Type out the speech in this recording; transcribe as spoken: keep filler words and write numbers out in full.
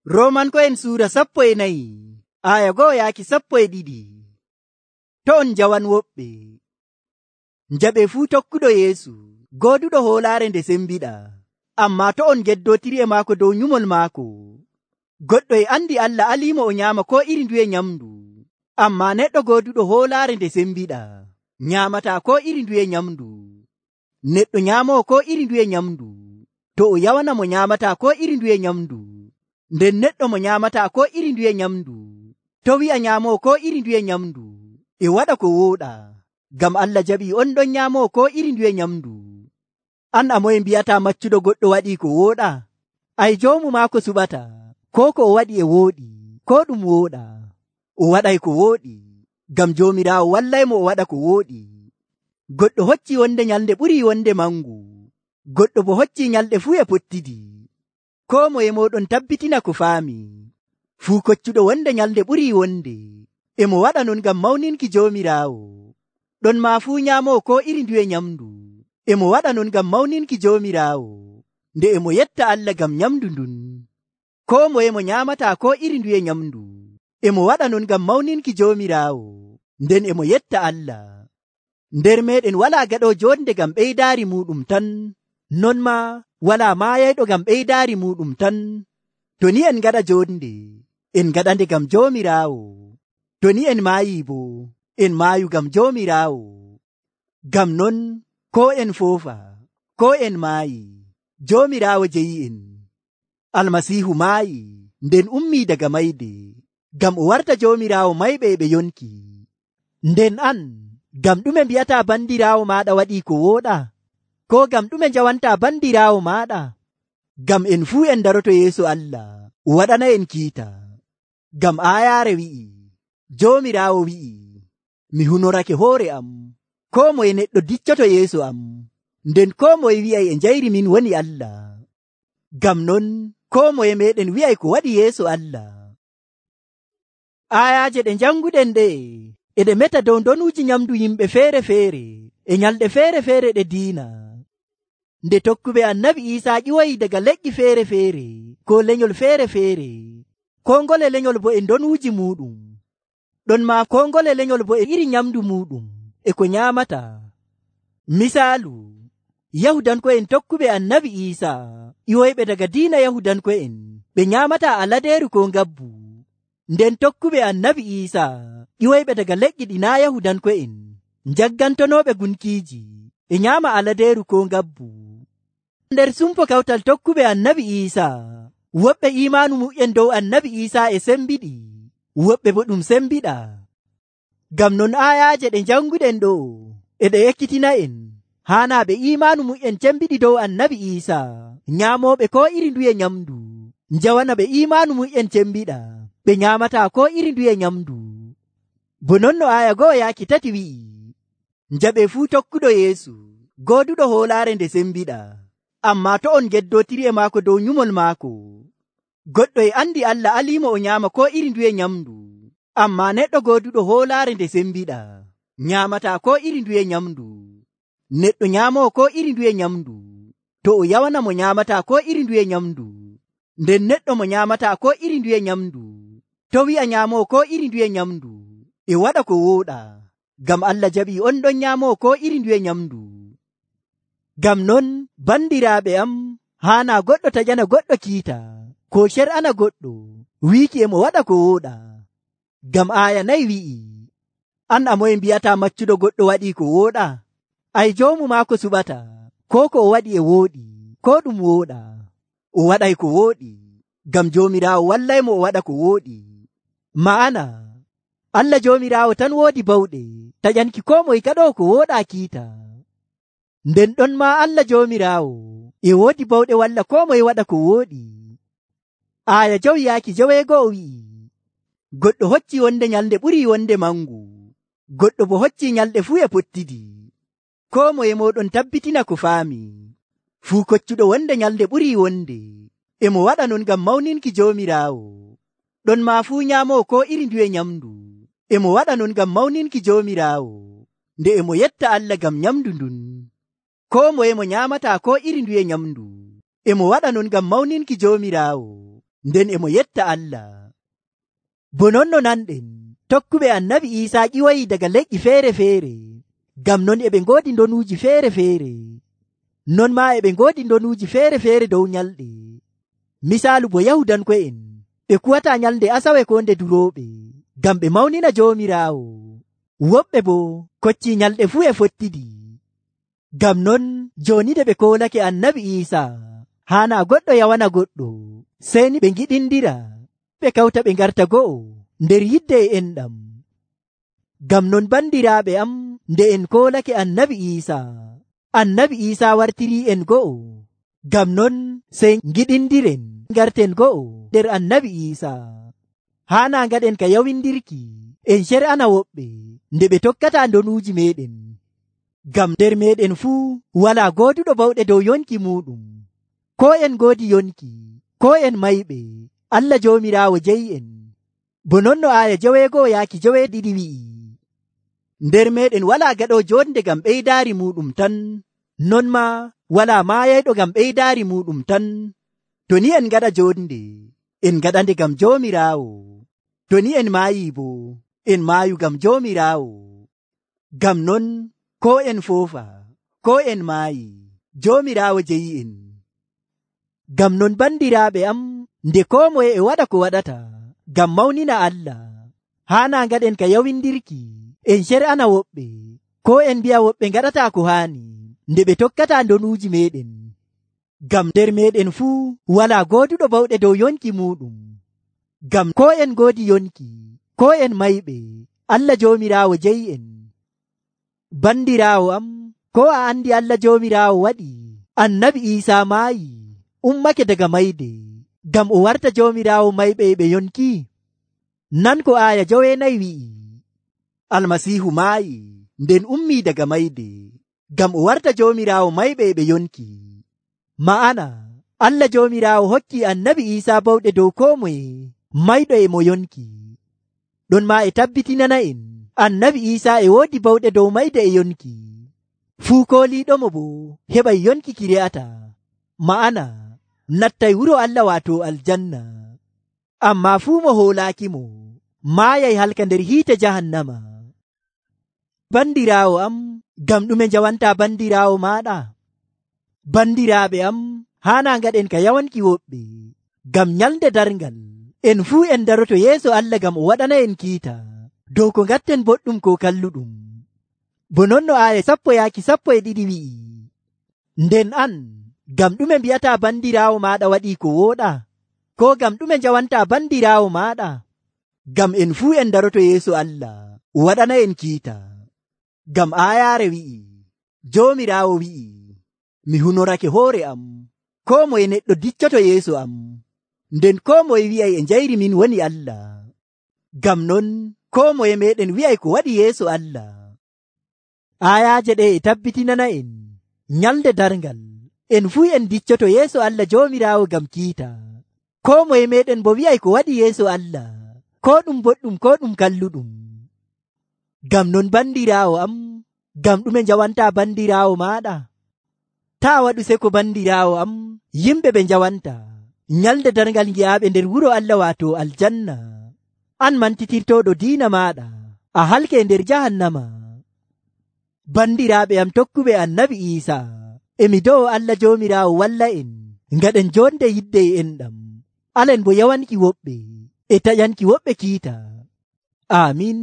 Romanko'en suura sappo e nayi aya go'o yaaki sappo e ɗiɗi. To on jawan woɓɓe njaɓe fuu tokkuɗo Yeesu gooduɗo hoolaare nde sembiɗa, amma to on geddotiri e maako dow nyumol maako. Goɗɗo e andi Allah aliimo o nyaama ko iri nduye nyamdu, amma neɗɗo gooduɗo hoolaare nde sembiɗa nyaamata ko iri nduye nyamdu. Neɗɗo nyaamowo ko iri nduye nyamdu to o yawana mo nyaamata ko iri nduye nyamdu, nden neɗɗo mo nyaamata ko iri nduye nyamdu to wi'a nyaamowo ko iri nduye nyamdu e waɗa ko wooɗa, ngam Allah jaɓi on ɗon nyaamowo ko iri nduye nyamdu. An a moye mbiyata maccuɗo goɗɗo waɗi ko wooɗa? Ai joomu maako suɓata ko ko o waɗi e wooɗi ko ɗum wooɗa. O waɗay ko wooɗi ngam Joomiraawo wallaymo o waɗa ko wooɗi. Goɗɗo hocci wonde nyalde ɓuri wonde mangu, goɗɗo bo hocci nyalɗe fuu e pottidi. Ko moye moɗon tabbitina ko faami. Fuu koccuɗo wonde nyalde ɓuri wonde e mo waɗa non ngam mawninki Joomiraawo. Ɗon ma fuu nyaamowo ko iri nduye nyamdu e mo waɗa non ngam mawninki Joomiraawo, nde e mo yetta Allah ngam nyamdu ndun. Ko moye mo nyaamata ko iri nduye nyamdu e mo waɗa non ngam mawninki Joomiraawo, nden e mo yetta Allah. Nder meɗen walaa gaɗo jonde ngam ɓeydaari muɗum tan, non ma walaa maayayɗo ngam ɓeydaari muɗum tan. To ni en gaɗa jonde en gaɗande ngam Joomiraawo, to ni en maayi bo en maayu ngam Joomiraawo. Ngam non ko en foofa ko en maayi, Joomiraawo jeyi en. Almasiihu maayi nden ummii daga mayde ngam o warta Joomiraawo mayɓe e ɓe yonki. Nden an ngam ɗume mbiyata bandiraawo maaɗa waɗi ko wooɗa? Ko ngam ɗume njawanta bandiraawo maaɗa? Ngam en fuu en daroto yeeso Allah o waɗana en kiita. Ngam aayaare wi'i, Joomiraawo wi'i, mi hunorake hoore am, ko moye neɗɗo diccoto yeeso am, nden ko moye wi'ay e njayri min woni Allah. Ngam non ko moye meɗen wi'ay ko waɗi yeeso Allah. Aayaaje ɗe janguɗen ɗe e ɗe meta dow donuuji nyamdu yimɓe feere-feere e nyalɗe feere-feere ɗe diina. Nde tokkuɓe annabi Iisaa ƴiwoyi daga leƴƴi feere-feere ko lenyol feere-feere, ko ngole lenyol bo e donuuji muɗum. Ɗon ma ko ngole lenyol bo e iri nyamdu muɗum e ko nyaamata. Misaalu, Yahudanko'en tokkuɓe annabi Iisaa ƴiwoyɓe daga diina Yahudanko'en ɓe nyaamata aladeeru ko ngabbu, nden tokkuɓe annabi Iisaa ƴiwoyɓe daga leƴƴi ɗi naa Yahudanko'en njaggantonooɓe gunkiiji e nyaama aladeeru ko ngabbu. Nder sumpo kawtal tokkuɓe annabi Iisaa, woɓɓe imaanu mu'en dow annabi Iisaa e sembiɗi, woɓɓe bo ɗum sembiɗa. Ngam non aayaaje ɗe janguɗen ɗo e ɗe ekkitina en haana ɓe imaanu mu'en cembiɗi dow annabi Iisaa nyaamoɓe ko iri nduye nyamdu, njawana ɓe imaanu mu'en cembiɗa ɓe nyaamata ko iri nduye nyamdu. Bo non no aya go'o yaaki tati wi'i, njaɓe fuu tokkuɗo Yeesu gooduɗo hoolaare nde sembiɗa, amma to on geddotiri e maako dow nyumol maako. Goɗɗo e andi Allah aliimo o nyaama ko iri nduye nyamdu, amma neɗɗo gooduɗo hoolaare nde sembiɗa nyaamata ko iri nduye nyamdu. Neɗɗo nyaamowo ko iri nduye nyamdu to o yawana mo nyaamata ko iri nduye nyamdu, nden neɗɗo mo nyaamata ko iri nduye nyamdu to wi'a nyaamowo ko iri nduye nyamdu e waɗa ko wooɗa, ngam Allah jaɓi on ɗon nyaamowo ko iri nduye nyamdu. Ngam non bandiraaɓe am, haana goɗɗo taƴana goɗɗo kiita ko cer'ana goɗɗo wiiki e mo waɗa ko wooɗa. Ngam aaya nayi wi'i, an a moye mbiyata maccuɗo goɗɗo waɗi ko wooɗa? Ai joomu maako suɓata ko ko o waɗi e wooɗi ko ɗum wooɗa. O waɗay ko wooɗi ngam Joomiraawo wallaymo o waɗa ko wooɗi. Ma'ana Allah Joomiraawo tan woodi bawɗe taƴanki ko moye gaɗo ko wooɗa kiita. Nden ɗon ma Allah Joomiraawo e woodi bawɗe walla ko moye waɗa ko wooɗi. Aaya jawi yaaki jaweego'o wi'i, goɗɗo hocci wonde nyalde ɓuri wonde mangu, goɗɗo bo hocci nyalɗe fuu e pottidi. Ko moye moɗon tabbitina ko faami. Fuu koccuɗo wonde nyalde ɓuri wonde e mo waɗa non ngam mawninki Joomiraawo. Ɗon ma fuu nyaamowo ko iri nduye nyamdu e mo waɗa non ngam mawninki Joomiraawo, nde e mo yetta Allah ngam nyamdu ndun. Ko moye mo nyaamata ko iri nduye nyamdu e mo waɗa non ngam mawninki Joomiraawo. nden e mo yetta Allah. Bo non no nanɗen tokkuɓe annabi Iisaa ƴiwoyi daga leƴƴi feere-feere, ngam non e ɓe ngoodi ndonuuji feere-feere. Non maa e ɓe ngoodi ndonuuji feere-feere dow nyalɗe. Misaalu bo Yahudanko'en ɓe kuwataa nyalnde Asawe ko nde durooɓe, ngam ɓe mawnina Joomiraawo. Woɓɓe bo koccii nyalɗe fuu e fottidi. Ngam non jooni nde ɓe koolake annabi Iisaa, haanaa goɗɗo yawana goɗɗo, sey ni ɓe ngiɗindira, ɓe kawta ɓe ngarta go'o nder yidde e enɗam. Ngam non bandiraaɓe am, nde en koolake annabi Iisaa, annabi Iisaa wartirii en go'o. Ngam non sey ngiɗindiren ngarten go'o nder annabi Iisaa. Haanaa ngaɗen ka yawindirki en cer'ana woɓɓe nde ɓe tokkataa ndonuuji meeɗen. Ngam nder meeɗen fuu walaa gooduɗo bawɗe dow yonki muuɗum. Koo en ngoodi yonki, koo en mayɓe, Allah Joomiraawo jeyi en. Bo non no aaya joweego'o yaaki joweeɗiɗi wi'i, nder meeɗen walaa gaɗoo joonde ngam ɓeydaari muuɗum tan, non maa walaa maayayɗo ngam ɓeydaari muuɗum tan. To ni en ngaɗa joonde, en ngaɗande ngam Joomiraawo. To ni en maayii bo, en maayu ngam Joomiraawo. Ngam non koo en foofa, koo en maayi, Joomiraawo jeyi en. Ngam non bandiraaɓe am, nde koo moye e waɗa ko waɗata ngam mawnina Allah, haanaa ngaɗen ka yawindirki en cer'ana woɓɓe, koo en mbi'a woɓɓe ngaɗataa ko haani nde ɓe tokkataa ndonuuji meeɗen. Ngam nder meeɗen fuu walaa gooduɗo bawɗe dow yonki muuɗum. Ngam koo en ngoodi yonki, koo en mayɓe, Allah Joomiraawo jeyi en. Bandiraawo am, koo a andi Allah Joomiraawo waɗi annabi Iisaa maayi, ummake daga mayde, ngam o warta Joomiraawo mayɓe e ɓe yonki. Nan ko aaya joweenayi wi'i, Almasiihu maayi nden ummii daga mayde, ngam o warta Joomiraawo mayɓe e ɓe yonki. Ma'ana Allah Joomiraawo hokkii annabi Iisaa bawɗe dow koo moye mayɗo e mo yonki. Ɗon maa e tabbitinana en annabi Iisaa e woodi bawɗe dow mayde e yonki. Fuu kooliiɗomo bo heɓay yonki ki re'ata, ma'ana nattay wuro Allah waato aljanna. Ammaa fuu mo hoolaakimo maayay halka nder hiite jahannama. Bandiraawo am, ngam ɗume njawantaa bandiraawo maaɗa? Bandiraaɓe am, haanaa ngaɗen ka yawanki woɓɓe, ngam nyalnde darngal en fuu en daroto yeeso Allah ngam o waɗana en kiita dow ko ngatten boɗɗum ko kalluɗum. Bo non no aaya sappo yaaki sappo e ɗiɗi wi'i, nden an ngam ɗume mbi'ataa bandiraawo maaɗa waɗii ko wooɗa? Ko ngam ɗume njawantaa bandiraawo maaɗa? Ngam en fuu en daroto yeeso Allah o waɗana en kiita. Ngam aayaare wi'i, Joomiraawo wi'i, mi hunorake hoore am, koo moye neɗɗo diccoto yeeso am, nden koo moye wi'ay e njayri min woni Allah. Ngam non koo moye meeɗen wi'ay ko waɗi yeeso Allah. Aayaaje ɗe e tabbitinana en nyalde darngal en fuu en diccoto yeeso Allah Joomiraawo ngam kiita. Koo moye meeɗen bo wi'ay ko waɗi yeeso Allah, koo ɗum boɗɗum koo ɗum kalluɗum. Ngam non bandiraawo am, ngam ɗume njawantaa bandiraawo maaɗa? Taa waɗu seko bandiraawo am, yimɓe ɓe njawanta nyalde darngal ngi'aaɓe nder wuro Allah waato aljanna. An mantitirtoɗo diina maaɗa, a halke nder jahannama. Bandiraaɓe am tokkuɓe annabi Iisaa, emi do'o Allah Joomiraawo walla en ngaɗen jonde yidde e enɗam. Alen bo yawanki woɓɓe e taƴanki woɓɓe kiita. Amin.